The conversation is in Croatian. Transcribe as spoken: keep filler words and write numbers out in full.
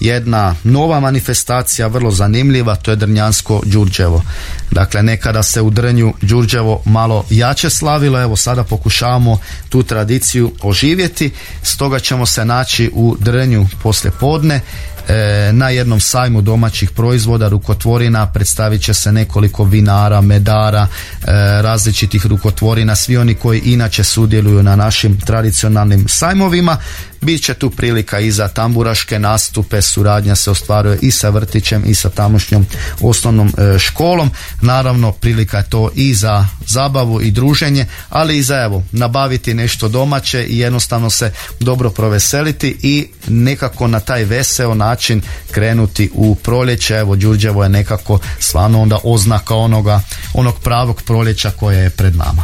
jedna nova manifestacija, vrlo zanimljiva, to je Drnjansko Đurđevo. Dakle, nekada se u Drnju Đurđevo malo jače slavilo, evo sada pokušavamo tu tradiciju oživjeti, stoga ćemo se naći u Drnju poslije podne na jednom sajmu domaćih proizvoda, rukotvorina. Predstavit će se nekoliko vinara, medara, različitih rukotvorina, svi oni koji inače sudjeluju na našim tradicionalnim sajmovima. Biće tu prilika i za tamburaške nastupe, suradnja se ostvaruje i sa vrtićem i sa tamošnjom osnovnom školom. Naravno, prilika je to i za zabavu i druženje, ali i za evo nabaviti nešto domaće i jednostavno se dobro proveseliti i nekako na taj veseo način krenuti u proljeće. Evo, Đurđevo je nekako stvarno onda oznaka onoga, onog pravog proljeća koje je pred nama.